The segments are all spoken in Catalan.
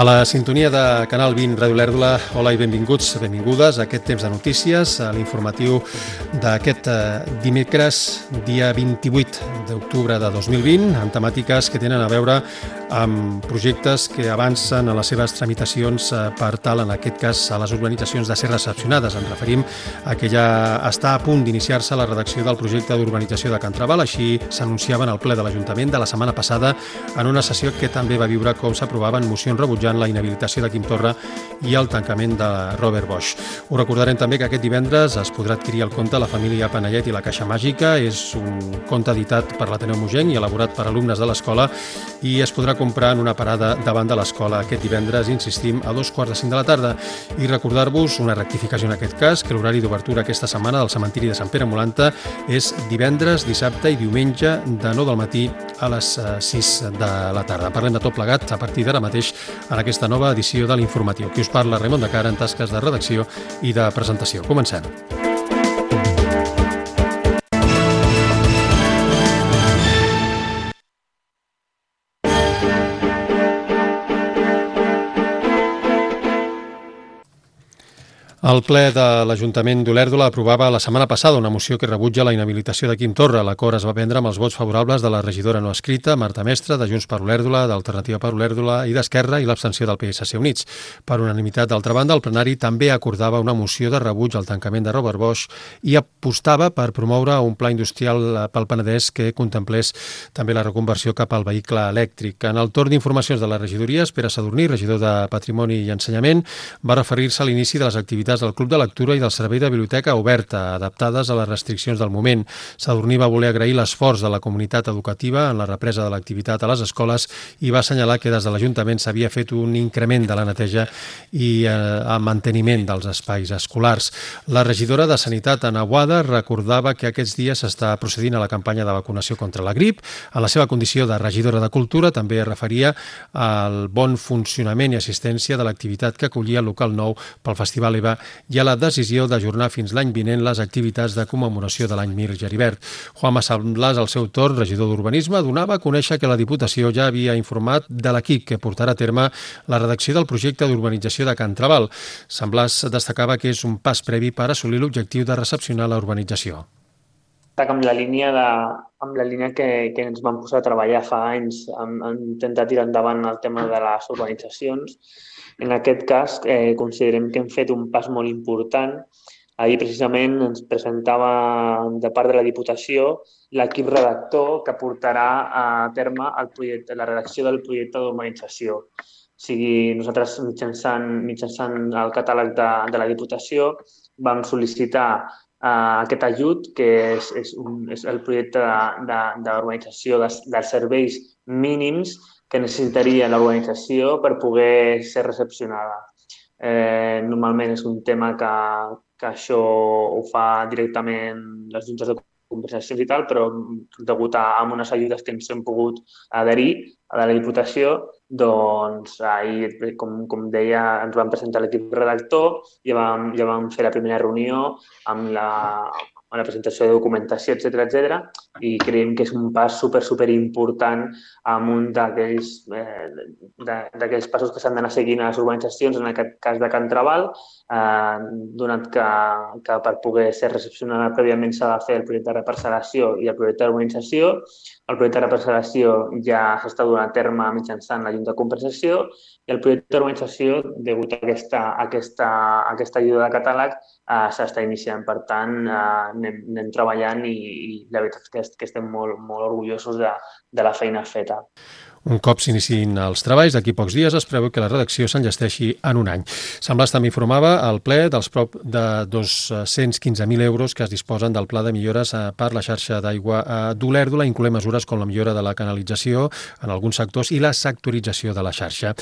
A la sintonia de Canal 20 Ràdio Olèrdola, hola i benvinguts, benvingudes a aquest temps de notícies, a l'informatiu d'aquest dimecres, dia 28 d'octubre de 2020, amb temàtiques que tenen a veure amb projectes que avancen a les seves tramitacions per tal, en aquest cas, a les urbanitzacions de ser recepcionades. Ens referim a que ja està a punt d'iniciar-se la redacció del projecte d'urbanització de Can Trabal, així s'anunciava en el ple de l'Ajuntament de la setmana passada en una sessió que també va viure com s'aprovaven mocions rebutjant la inhabilitació de Quim Torra i el tancament de Robert Bosch. Us recordarem també que aquest divendres es podrà adquirir el conte La família Panellet i la caixa màgica. És un conte editat per l'Ateneu Mogenc i elaborat per alumnes de l'escola i es podrà comprar en una parada davant de l'escola aquest divendres, insistim, a 2:45 de la tarda. I recordar-vos, una rectificació en aquest cas, que l'horari d'obertura aquesta setmana del cementiri de Sant Pere Molanta és divendres, dissabte i diumenge de 9 del matí a les 6 de la tarda. Parlem de tot plegat a partir d'ara mateix en aquesta nova edició de l'Informatiu. Qui us parla, Raimon de Cara, en tasques de redacció i de presentació. Comencem. El ple de l'Ajuntament d'Olèrdola aprovava la setmana passada una moció que rebutja la inhabilitació de Quim Torra. L'acord es va prendre amb els vots favorables de la regidora no escrita, Marta Mestre, de Junts per Olèrdola, d'Alternativa per Olèrdola i d'Esquerra, i l'abstenció del PSC Units. Per unanimitat, d'altra banda, el plenari també acordava una moció de rebuig al tancament de Robert Bosch i apostava per promoure un pla industrial pel Penedès que contemplés també la reconversió cap al vehicle elèctric. En el torn d'informacions de les regidories, Pere Sadurní, regidor de Patrimoni i Ensenyament, va referir-se a l'inici de les activitats del Club de Lectura i del Servei de Biblioteca Oberta, adaptades a les restriccions del moment. Sadurní va voler agrair l'esforç de la comunitat educativa en la represa de l'activitat a les escoles i va assenyalar que des de l'Ajuntament s'havia fet un increment de la neteja i el manteniment dels espais escolars. La regidora de Sanitat, Ana Boada, recordava que aquests dies s'està procedint a la campanya de vacunació contra la grip. En la seva condició de regidora de Cultura també es referia al bon funcionament i assistència de l'activitat que acollia el local nou pel Festival EVA i a la decisió d'ajornar fins l'any vinent les activitats de commemoració de l'any Mir Geribert. Juanma Samblas, al seu torn, regidor d'Urbanisme, donava a conèixer que la Diputació ja havia informat de l'equip que portarà a terme la redacció del projecte d'urbanització de Can Trabal. Samblas destacava que és un pas previ per assolir l'objectiu de recepcionar la urbanització. Amb la línia que ens vam posar a treballar fa anys, hem intentat tirar endavant el tema de les urbanitzacions. En aquest cas, considerem que hem fet un pas molt important. Ahir, precisament, ens presentava de part de la Diputació l'equip redactor que portarà a terme la redacció del projecte d'urbanització. O sigui, nosaltres, mitjançant el catàleg de la Diputació, vam sol·licitar aquest ajut, que és el projecte d'urbanització dels serveis mínims que necessitaria l'urbanització per poder ser recepcionada. Normalment és un tema que això ho fa directament les juntes de compensacions i tal, però degut a unes ajudes que ens hem pogut adherir a la Diputació, doncs ahir, com deia, ens vam presentar l'equip redactor, ja vam fer la primera reunió amb la presentació de documentació, etc. I creiem que és un pas super important amb un d'aquells passos que s'han d'anar seguint a les urbanitzacions, en aquest cas de Can Trabal, donat que per poder ser recepcionada prèviament s'ha de fer el projecte de reparcel·lació i el projecte d'urbanització. El projecte de reparcel·lació ja s'està donant a terme mitjançant la Junta de Compensació i el projecte d'urbanització, degut a aquesta ajuda de catàleg, s'està iniciant. Per tant, anem treballant i la veritat és que estem molt orgullosos de la feina feta. Un cop s'iniciïn els treballs, d'aquí pocs dies es preveu que la redacció s'enllesteixi en un any. Samblas també informava al ple dels prop de 215.000 euros que es disposen del pla de millores per la xarxa d'aigua d'Olèrdola, incloent mesures com la millora de la canalització en alguns sectors i la sectorització de la xarxa.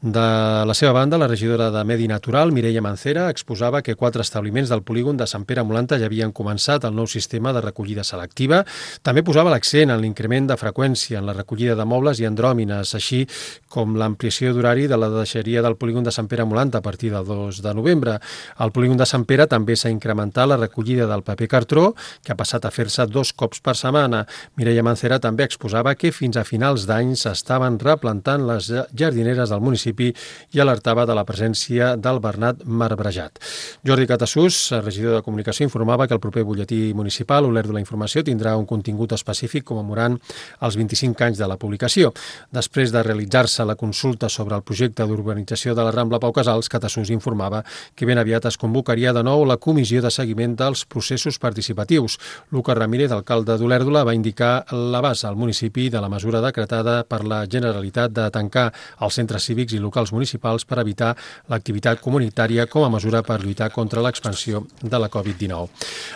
De la seva banda, la regidora de Medi Natural, Mireia Mancera, exposava que 4 establiments del polígon de Sant Pere Molanta ja havien començat el nou sistema de recollida selectiva. També posava l'accent en l'increment de freqüència en la recollida de mobles i en andròmines, així com l'ampliació d'horari de la deixeria del polígon de Sant Pere Molant a partir del 2 de novembre. Al polígon de Sant Pere també s'ha incrementat la recollida del paper cartró, que ha passat a fer-se 2 cops per setmana. Mireia Mancera també exposava que fins a finals d'any s'estaven replantant les jardineres del municipi i alertava de la presència del bernat marbrejat. Jordi Catassús, regidor de Comunicació, informava que el proper butlletí municipal, Olert de la Informació, tindrà un contingut específic commemorant els 25 anys de la publicació. Després de realitzar-se la consulta sobre el projecte d'urbanització de la Rambla Pau Casals, Catassús informava que ben aviat es convocaria de nou la comissió de seguiment dels processos participatius. Lucas Ramírez, alcalde d'Olèrdola, va indicar l'abast al municipi de la mesura decretada per la Generalitat de tancar els centres cívics i locals municipals per evitar l'activitat comunitària com a mesura per lluitar contra l'expansió de la Covid-19.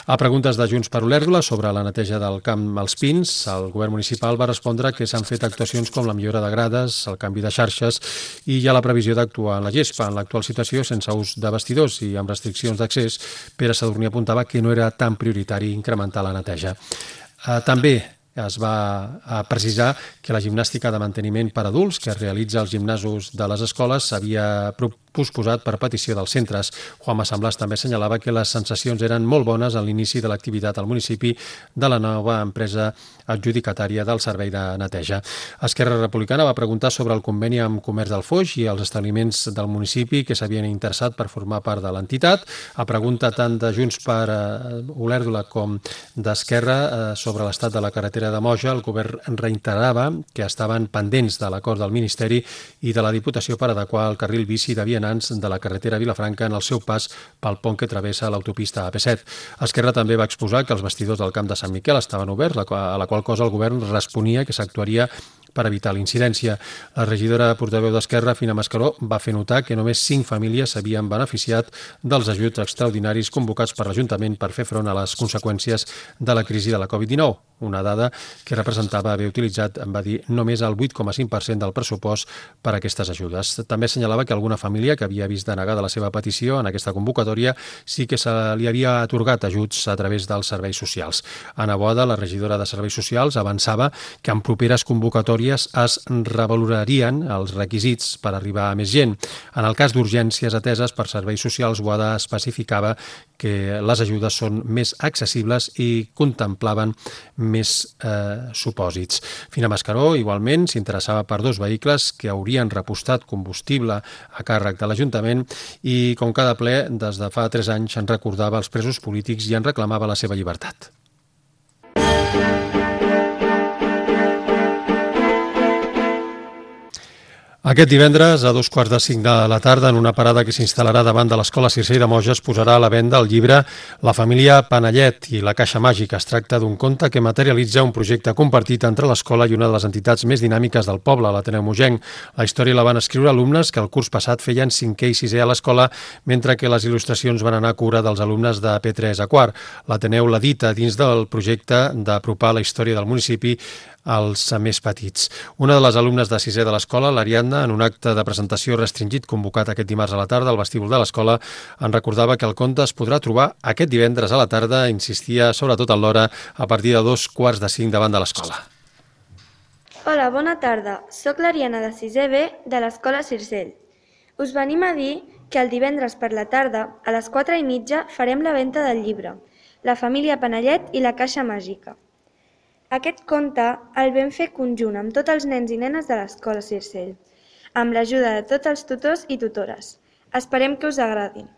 A preguntes de Junts per Olèrdola sobre la neteja del camp als Pins, el govern municipal va respondre que s'han fet actuacions com la millora de grades, el canvi de xarxes i hi ha la previsió d'actuar en la gespa. En l'actual situació, sense ús de vestidors i amb restriccions d'accés, Pere Sadurní apuntava que no era tan prioritari incrementar la neteja. També es va precisar que la gimnàstica de manteniment per adults que es realitza als gimnasos de les escoles s'havia posposat per petició dels centres. Juanma Samblàs també assenyalava que les sensacions eren molt bones a l'inici de l'activitat al municipi de la nova empresa adjudicatària del servei de neteja. Esquerra Republicana va preguntar sobre el conveni amb Comerç del Foix i els establiments del municipi que s'havien interessat per formar part de l'entitat. A pregunta tant de Junts per Olèrdola com d'Esquerra sobre l'estat de la carretera de Moja, el govern reiterava que estaven pendents de l'acord del Ministeri i de la Diputació per adequar el carril bici de vianants de la carretera Vilafranca en el seu pas pel pont que travessa l'autopista AP7. Esquerra també va exposar que els vestidors del camp de Sant Miquel estaven oberts, a la qual cosa el govern responia que s'actuaria per evitar l'incidència. La regidora portaveu d'Esquerra, Fina Mascaró, va fer notar que només 5 famílies s'havien beneficiat dels ajuts extraordinaris convocats per l'Ajuntament per fer front a les conseqüències de la crisi de la Covid-19, una dada que representava haver utilitzat, va dir, només el 8,5% del pressupost per a aquestes ajudes. També assenyalava que alguna família que havia vist denegada la seva petició en aquesta convocatòria sí que se li havia atorgat ajuts a través dels serveis socials. Ana Boada, la regidora de Serveis Socials, avançava que en properes convocatòries es revalorarien els requisits per arribar a més gent. En el cas d'urgències ateses per serveis socials, Boada especificava que les ajudes són més accessibles i contemplaven més supòsits. Fina Mascaró, igualment, s'interessava per 2 vehicles que haurien repostat combustible a càrrec de l'Ajuntament i, com cada ple, des de fa 3 anys en recordava els presos polítics i en reclamava la seva llibertat. Aquest divendres, a 2:45 de la tarda, en una parada que s'instal·larà davant de l'Escola Circell de Moja, es posarà a la venda el llibre La família Panellet i la caixa màgica. Es tracta d'un conte que materialitza un projecte compartit entre l'escola i una de les entitats més dinàmiques del poble, l'Ateneu Mogenc. La història la van escriure alumnes que el curs passat feien 5è i 6è a l'escola, mentre que les il·lustracions van anar a cura dels alumnes de P3 a quart. L'Ateneu l'edita dins del projecte d'apropar la història del municipi als més petits. Una de les alumnes de 6è de l'escola, l'Ariadna, en un acte de presentació restringit convocat aquest dimarts a la tarda al vestíbul de l'escola, en recordava que el conte es podrà trobar aquest divendres a la tarda, insistia sobretot en l'hora, a partir de 4:45 davant de l'escola. Hola, bona tarda. Soc l'Ariadna de 6è B de l'Escola Circell. Us venim a dir que el divendres per la tarda, a les 4:30, farem la venda del llibre La família Panellet i la caixa màgica. Aquest conte el vam fer conjunt amb tots els nens i nenes de l'Escola Circell, amb l'ajuda de tots els tutors i tutores. Esperem que us agradin.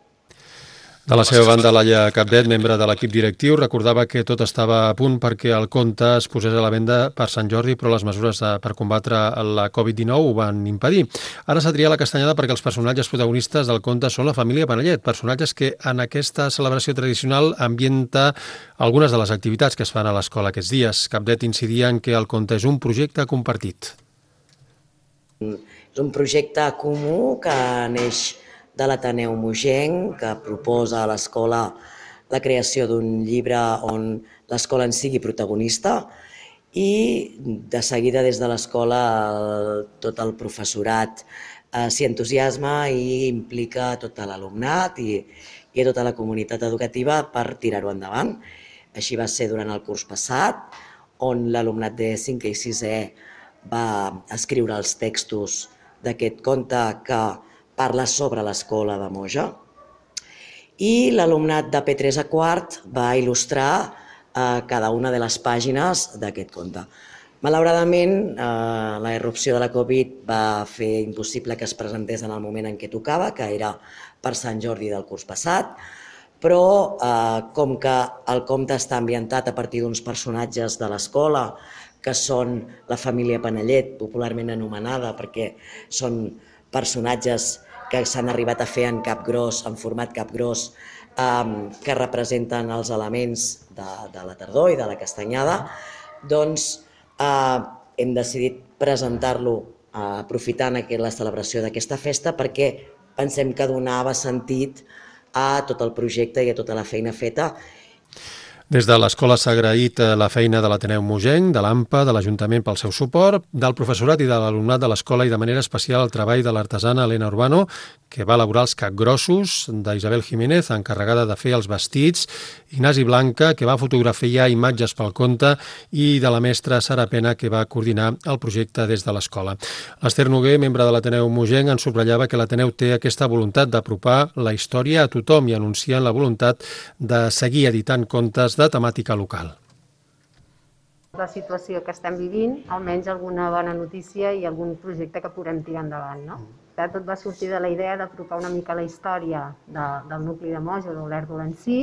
De la seva banda, Laia Capdet, membre de l'equip directiu, recordava que tot estava a punt perquè el conte es posés a la venda per Sant Jordi, però les mesures per combatre la Covid-19 ho van impedir. Ara s'ha triat la castanyada perquè els personatges protagonistes del conte són la família Panellet, personatges que en aquesta celebració tradicional ambienta algunes de les activitats que es fan a l'escola aquests dies. Capdet incidia en que el conte és un projecte compartit. És un projecte comú que neix de l'Ateneu Mogenc, que proposa a l'escola la creació d'un llibre on l'escola en sigui protagonista i de seguida des de l'escola tot el professorat s'hi entusiasma i implica tot l'alumnat i tota la comunitat educativa per tirar-ho endavant. Així va ser durant el curs passat, on l'alumnat de 5è i 6è va escriure els textos d'aquest conte que parla sobre l'escola de Moja. I l'alumnat de P3 a quart va il·lustrar cada una de les pàgines d'aquest conte. Malauradament, la irrupció de la Covid va fer impossible que es presentés en el moment en què tocava, que era per Sant Jordi del curs passat, però com que el conte està ambientat a partir d'uns personatges de l'escola, que són la família Panellet, popularment anomenada, perquè són personatges que s'han arribat a fer en capgròs, en format capgròs, que representen els elements de la tardor i de la castanyada, doncs hem decidit presentar-lo aprofitant la celebració d'aquesta festa perquè pensem que donava sentit a tot el projecte i a tota la feina feta. Des de l'escola s'ha agraït la feina de l'Ateneu Mogenc, de l'AMPA, de l'Ajuntament pel seu suport, del professorat i de l'alumnat de l'escola i de manera especial el treball de l'artesana Elena Urbano, que va elaborar els capgrossos, d'Isabel Jiménez, encarregada de fer els vestits, Ignasi Blanca, que va fotografiar imatges pel conte, i de la mestra Sara Pena, que va coordinar el projecte des de l'escola. L'Ester Noguer, membre de l'Ateneu Mogenc, en subratllava que l'Ateneu té aquesta voluntat d'apropar la història a tothom i anuncien la voluntat de seguir editant contes de temàtica local. La situació que estem vivint, almenys alguna bona notícia i algun projecte que podem tirar endavant, no? Tot va sortir de la idea d'apropar una mica la història del nucli de Moja, d'Olèrdola en si,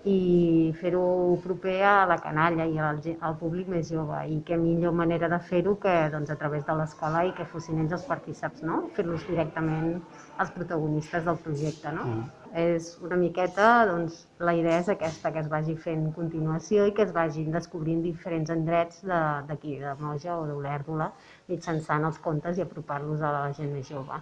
i fer-ho proper a la canalla i al públic més jove. I què millor manera de fer-ho que a través de l'escola i que fossin ells els partíceps, no? Fer-los directament els protagonistes del projecte, no? És una miqueta, doncs, la idea és aquesta, que es vagi fent continuació i que es vagin descobrint diferents indrets d'aquí, de Moja o d'Olèrdola, mitjançant els contes i apropar-los a la gent més jove.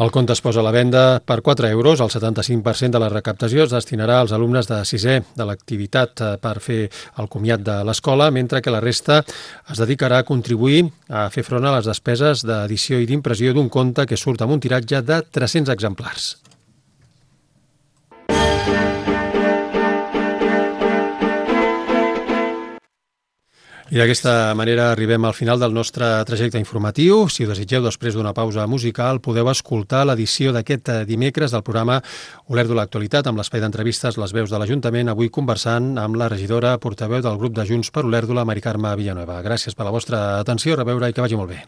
El conte es posa a la venda per 4 euros. El 75% de la recaptació es destinarà als alumnes de 6è de l'activitat per fer el comiat de l'escola, mentre que la resta es dedicarà a contribuir a fer front a les despeses d'edició i d'impressió d'un conte que surt amb un tiratge de 300 exemplars. I d'aquesta manera arribem al final del nostre trajecte informatiu. Si ho desitgeu, després d'una pausa musical, podeu escoltar l'edició d'aquest dimecres del programa Olèrdola Actualitat, amb l'espai d'entrevistes Les Veus de l'Ajuntament, avui conversant amb la regidora portaveu del grup de Junts per Olèrdola, Mari Carme Villanueva. Gràcies per la vostra atenció, a reveure i que vagi molt bé.